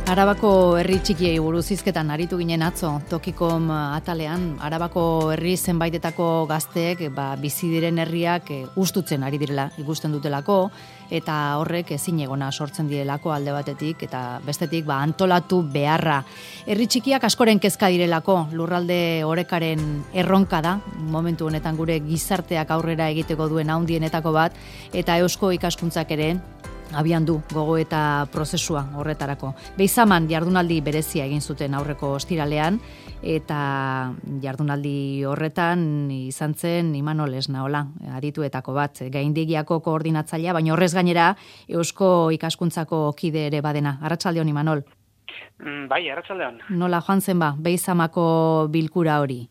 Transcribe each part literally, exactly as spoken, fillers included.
Arabako herri txikiei buruz hizketan aritu ginen atzo, Tokikom atalean, Arabako herri zenbaitetako gazteek ba, bizi diren herriak e, ustutzen ari direla, ikusten dutelako, eta horrek ezinegona sortzen direlako alde batetik, eta bestetik ba, antolatu beharra. Herri txikiak askoren kezka direlako, lurralde orekaren erronka da, momentu honetan gure gizarteak aurrera egiteko duen handienetako bat, eta eusko ikaskuntzak ere, abian du gogo eta prozesua horretarako. Beizaman jardunaldi berezia egin zuten aurreko ostiralean, eta jardunaldi horretan izan zen Imanol Esnaola, adituetako bat, gaindegiako koordinatzailea, baina horrez gainera eusko ikaskuntzako kide ere badena. Arratsaldeon, Imanol. Mm, bai, arratsaldeon. Nola joan zen ba, Beizamako bilkura hori?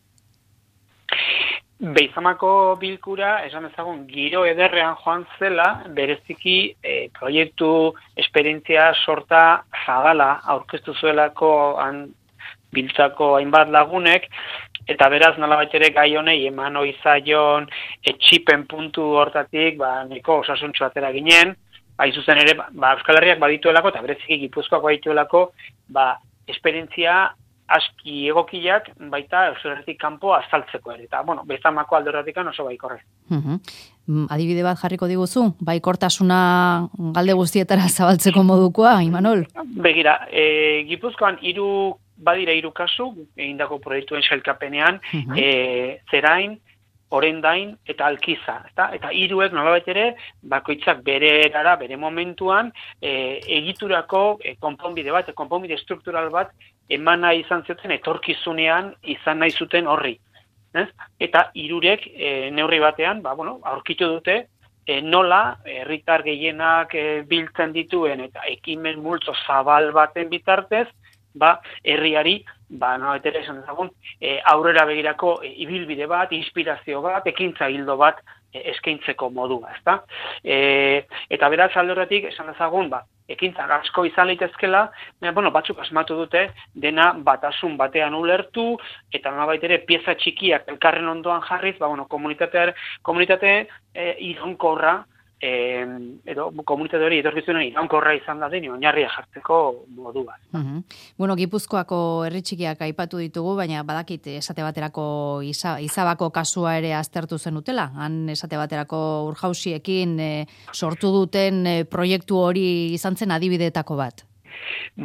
Beizamako bilkura, esan ezagun, giro ederrean joan zela, bereziki e, proiektu esperientzia sorta zabala aurkeztu zuelako han biltzako hainbat lagunek, eta beraz nolabait ere gai honei eman ohi zaion etxipen puntu hortatik, ba, nahiko osasuntsu atera ginen, hain zuzen ere, ba, Euskal Herriak badituelako, eta bereziki Gipuzkoak badituelako, ba, esperientzia aski egokiak baita Euskal Herritik kanpo azaltzeko ere. Eta, bueno, Beizamako alderatik oso baikorre. Uh-huh. Adibide bat jarriko diguzu, baikortasuna galde guztietara zabaltzeko modukoa, Imanol? Begira, e, Gipuzkoan hiru badira hiru kasu, egindako proiektuen sailkapenean, uh-huh. e, Zerain, Orendain eta Alkiza, eta eta hiruek nolabait ere bakoitzak bere erara, bere momentuan e, egiturako e, konponbide bat, konponbide struktural bat eman nahi izan zuten etorkizunean izan nahi zuten horri. Ez? Eta hirurek e, neurri batean, ba, bueno, aurkitu dute e, nola herritar gehienak e, biltzen dituen eta ekimen multzo zabal baten bitartez, ba, herriari, ba, nolabait ere esan dezagun, e, aurrera begirako e, ibilbide bat, inspirazio bat, ekintza hildo bat e, eskaintzeko modua, ezta? E, eta beraz alde horretik esan dezagun, ba, ekintzak asko izan litezkela, bueno, batzuk asmatu dute dena batasun batean ulertu, eta nolabait ere pieza txikiak elkarren ondoan jarriz, ba, bueno, komunitate, komunitate e, iraunkorra, E, edo komunitate hori etorkizunen iraunkorra izan da den oinarria jartzeko modua. Uh-huh. Bueno, Gipuzkoako herri txikiak aipatu ditugu, baina badakit esate baterako iza, izabako kasua ere aztertu zenutela. Han esate baterako urjausiekin e, sortu duten e, proiektu hori izan zen adibideetako bat.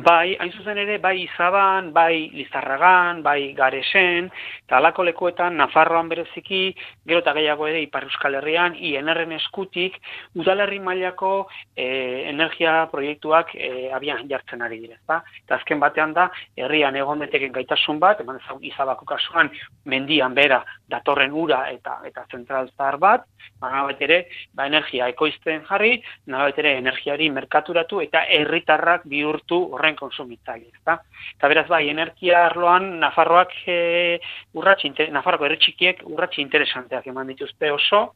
Bai, hain zuzen ere, bai Izaban, bai Lizarragan, bai Garesen, eta halako lekuetan, Nafarroan bereziki, gero eta gehiago ere Ipar Euskal Herrian, I N R-en eskutik, udalerri mailako e, energia proiektuak e, abian jartzen ari dira. Ba? Eta azken batean da, herrian egon deteken gaitasun bat, eman ezagun Izabako kasuan, mendian bera, datorren ura eta eta zentral zahar bat, nolabait ere, ba, energia ekoizten jarri, nolabait ere energiari merkaturatu eta herritarrak bihurtu horren konsumitzaile, ezta? Eta beraz bai, energia arloan Nafarroak e, urratsi Nafarroko herri txikiek urratsi interesanteak eman dituzte oso,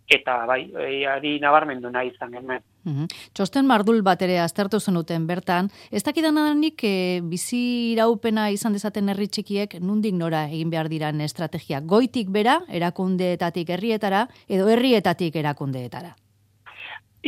eta bai, e, ari nabarmendu nahi izan genuen. Uhum. Txosten mardul bat ere aztertu zenuten bertan, ez dakidananik e, bizi iraupena izan dezaten herri txikiek nundik nora egin behar diran estrategia, goitik bera, erakundeetatik herrietara, edo herrietatik erakundeetara?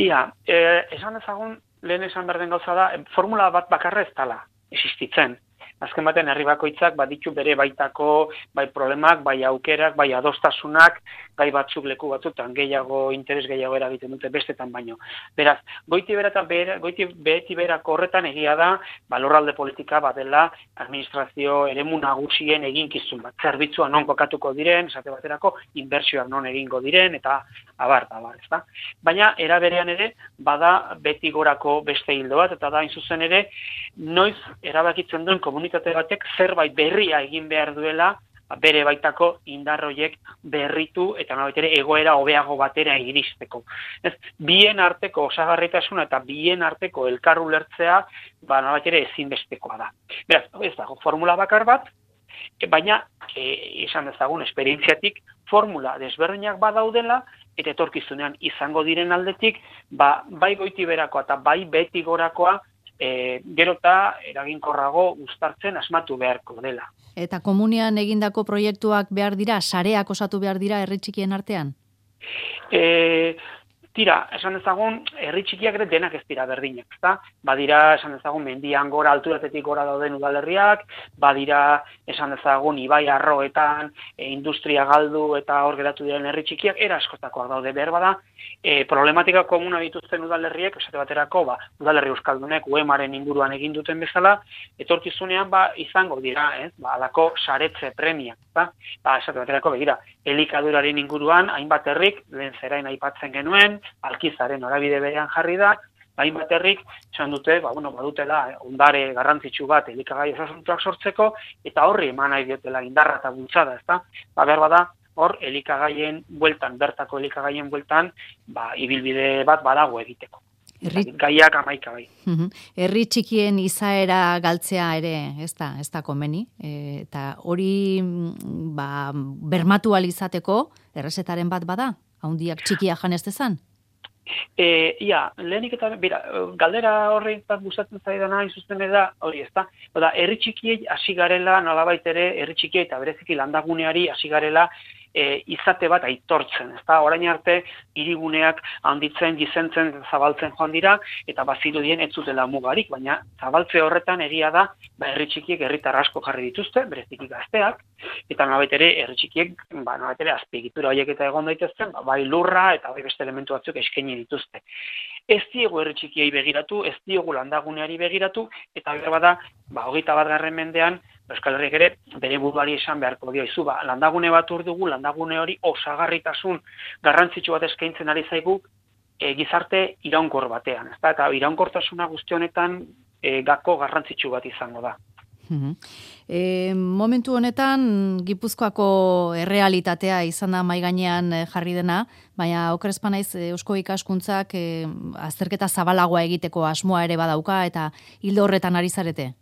Ia, e, esan ezagun, lehen esan behar den gauza da, formula bat bakarra ez dela existitzen. Azken baten herri bakoitzak baditu bere baitako bai problemak, bai aukerak, bai adostasunak, gai batzuk leku batzutan gehiago interes gehiago eragiten dute bestetan baino. Beraz, goiti bera eta bera, goiti beti berako horretan egia da, ba, lurralde politika badela administrazio eremu nagusien eginkizun bat. Zerbitzua non kokatuko diren, esate baterako inbertsioak non egingo diren eta abar, abar, ez da. Baina era berean ere bada beti gorako beste hildo bat eta da hain zuzen ere noiz erabakitzen duen komunitate batek zerbait berria egin behar duela bere baitako indar horiek berritu eta nolabait ere egoera hobeago batera iristeko. Ez, bien arteko osagarritasuna eta bien arteko elkar ulertzea, ba nolabait ere ezinbestekoa da. Beraz, ez dago formula bakar bat, baina e, esan dezagun esperientziatik formula desberdinak badaudela eta etorkizunean izango diren aldetik, ba bai goiti berakoa eta bai beti gorakoa E, gero eta eraginkorrago uztartzen asmatu beharko dela. Eta komunian egindako proiektuak behar dira, sareak osatu behar dira herri txikien artean? E, Tira, esan dezagun, herri txikiak ere denak ez dira berdinak, ezta? Badira, esan dezagun, mendian gora, alturatetik gora dauden udalerriak, badira, esan dezagun, ibai arroetan, e, industria galdu eta hor geratu diren herri txikiak, era askotakoak daude behar bada, e, problematika komuna dituzten udalerriek, esate baterako, ba, udalerri euskaldunek, U E M-aren inguruan egin duten bezala, etorkizunean, ba, izango dira, ez? Ba, alako saretze premiak, ezta? Ba, esate baterako, begira, elikaduraren inguruan, hainbat herrik, lehen zerain aipatzen genuen, Alkizaren norabide berean jarri da, hainbat herrik esan dute, ba, bueno, badutela ondare garrantzitsu bat elikagai osasuntuak sortzeko, eta horri eman nahi diotela indarra eta bultzada, ezta? Ba, behar bada, hor elikagaien bueltan, bertako elikagaien bueltan, ba, ibilbide bat badago egiteko. Herri... Gaiak amaika bai. Herri txikien izaera galtzea ere, ez da, ez da komeni, e, eta hori ba, bermatu alizateko errezetaren bat bada, haundiak txikia janez dezan? E, ia, lehenik eta, bera, galdera horretan gustatzen zaidana izuzten da, hori ez da, oda, herri txikiei hasi garela, nolabait ere, herri txikiei eta bereziki landaguneari hasi garela, E, izate bat aitortzen, ezta? Orain arte hiriguneak handitzen, gizentzen, zabaltzen joan dira eta bazirudien ez zutela mugarik, baina zabaltze horretan egia da, ba herri txikiek herritar asko jarri dituzte, bereziki gazteak, eta nolabait ere herri txikiek, ba nolabait ere azpiegitura horiek eta egon daitezken, ba, bai lurra eta bai beste elementu batzuk eskaini dituzte. Ez diegu herri txikiei begiratu, ez diegu landaguneari begiratu, eta behar bada, ba hogeita bat garren mendean, Euskal Herriak ere bere buruari esan beharko dio izu, ba, landagune bat hor dugu, landagune hori osagarritasun garrantzitsu bat eskaintzen ari zaigu e, gizarte iraunkor batean, ezta? Eta iraunkortasuna guzti honetan e, gako garrantzitsu bat izango da. E, momentu honetan Gipuzkoako errealitatea izan da mahai gainean jarri dena, baina okerezpa naiz Eusko Ikaskuntzak e, azterketa zabalagoa egiteko asmoa ere badauka eta hildo horretan ari zarete.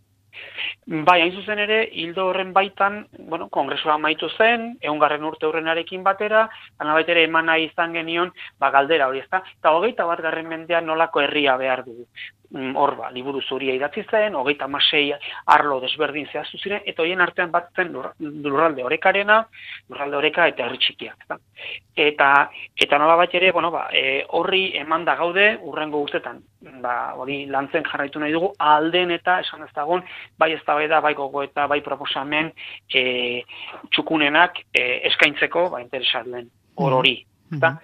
Bai, hain zuzen ere, hildo horren baitan, bueno, kongresua amaitu zen, ehungarren urte horrenarekin batera, nolabait ere eman nahi izan genion, ba, galdera hori, ezta? Eta hogeita bat garren mendean nolako herria behar dugu. Hor, ba, liburu zuria idatzi zen, hogeita hamasei arlo desberdin zehaztu ziren, eta horien artean bat zen lurralde orekarena, lurralde oreka eta herri txikiak. Eta, eta, eta nolabait ere, bueno, ba, e, horri eman da gaude, urrengo urtetan, ba, hori lantzen jarraitu nahi dugu, alden eta esan ez dagoen, bai eztabaida, bai gogo eta bai proposamen e, txukunenak e, eskaintzeko, ba, interesatuen hor hori. Eta,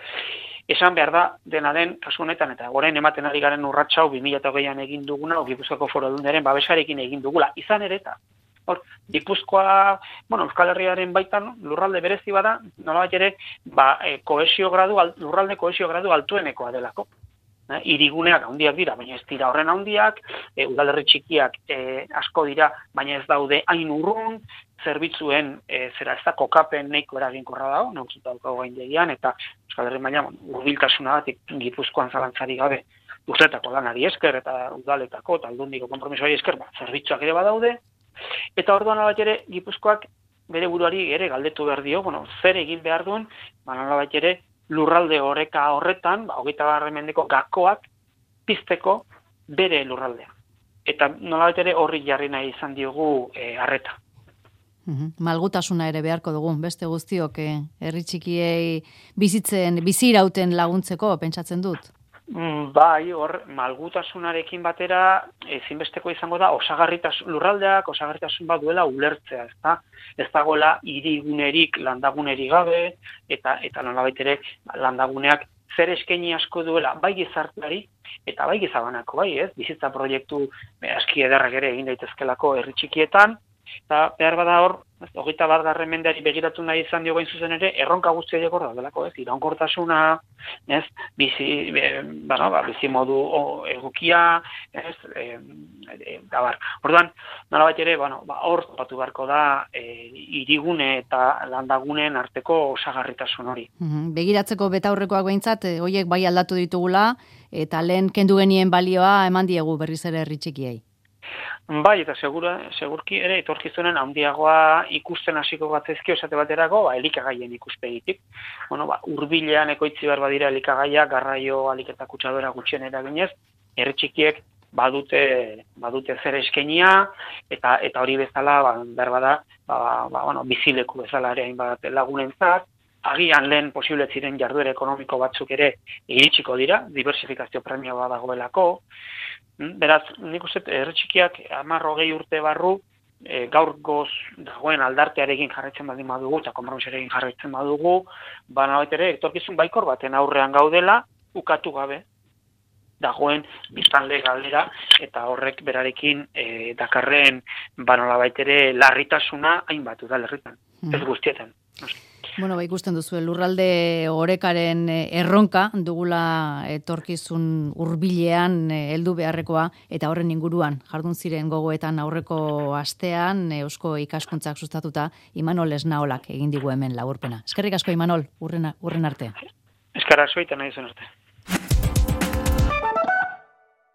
esan behar da, dena den, kasu honetan, eta orain ematen ari garen urratxau bi mila hogeian egin duguna, Gipuzkoako Foru Aldundiaren babesarekin egin dugula. Izan ere eta, hor, Gipuzkoa, bueno, Euskal Herriaren baitan lurralde berezi bada, nolabait ere, ba, e, kohesio gradu, lurralde kohesio gradu altuenekoa delako. Eh, iriguneak handiak dira, baina ez dira horren handiak, e, udalerri txikiak e, asko dira, baina ez daude hain urrun, zerbitzuen e, zera ez da kokapen nahiko eraginkorra dago, nautzuta daukago gaindegian, eta Euskal Herri mailan hurbiltasuna batik Gipuzkoan zalantzari gabe urtetako lanari esker eta udaletako eta aldundiko konpromisoari esker, ba, zerbitzuak ere badaude, eta orduan nolabait ere Gipuzkoak bere buruari ere galdetu behar dio, bueno, zer egin behar duen, ba, nolabait ere lurralde oreka horretan, ba, hogeita garren mendeko gakoak pizteko bere lurraldea. Eta nolabait ere horri jarri nahi izan diogu harreta. E, Malgutasuna ere beharko dugu, beste guztiok eh, herri txikiei bizitzen, bizirauten laguntzeko, pentsatzen dut. Bai, hor, malgutasunarekin batera ezinbesteko izango da osagarritasun lurraldeak, osagarritasun bat duela ulertzea, ezta? Ez dagoela hirigunerik landagunerik gabe, eta eta nolabait ere landaguneak zer eskaini asko duela, bai gizarteari, eta bai gizabanako, bai, ez? Bizitza proiektu aski ederrak ere egin daitezkelako herri txikietan, eta behar bada hor, hogeita bat garren mendeari begiratu nahi izan dio gain zuzen ere, erronka guztia jokor daudelako, ez? Iraunkortasuna, ez? Bizi, e, bueno, ba, bizi modu o, egokia, ez? E, e, gabar. Orduan, nolabait ere, bueno, ba, hor topatu beharko da e, hirigune eta landagunen arteko osagarritasun hori. Begiratzeko betaurrekoak behintzat, horiek bai aldatu ditugula, eta lehen kendu genien balioa eman diegu berriz ere herri txikiei. Bai, eta segura, segurki ere etorkizunen handiagoa ikusten hasiko batzaizkio esate baterako, ba, elikagaien ikuspegitik. Bueno, ba, hurbilean ekoitzi behar badira elikagaia, garraio, alik eta kutsadora gutxien eraginez, herri txikiek badute, badute zer eskenia, eta eta hori bezala, ba, behar bada, ba, ba, bueno, bizileku bezala ere hainbat lagunentzat, agian lehen posible ziren jarduera ekonomiko batzuk ere iritsiko dira, diversifikazio premia bat dagoelako. Beraz, nik uste herri txikiak hamar hogei urte barru e, gaur goz dagoen aldartearekin jarraitzen baldin badugu, eta konpromisoarekin jarraitzen badugu, baina baita ere, etorkizun baikor baten aurrean gaudela, ukatu gabe dagoen biztanle galera, eta horrek berarekin e, dakarren banola baitere larritasuna hainbat udalerritan, mm. ez guztietan. Bueno, ba, ikusten duzu, lurralde orekaren erronka dugula etorkizun hurbilean heldu beharrekoa, eta horren inguruan jardun ziren gogoetan aurreko astean Eusko Ikaskuntzak sustatuta Imanol Esnaolak egin digu hemen laburpena. Eskerrik asko Imanol, urren, urren arte. Eskerrak zoita nahi zen arte.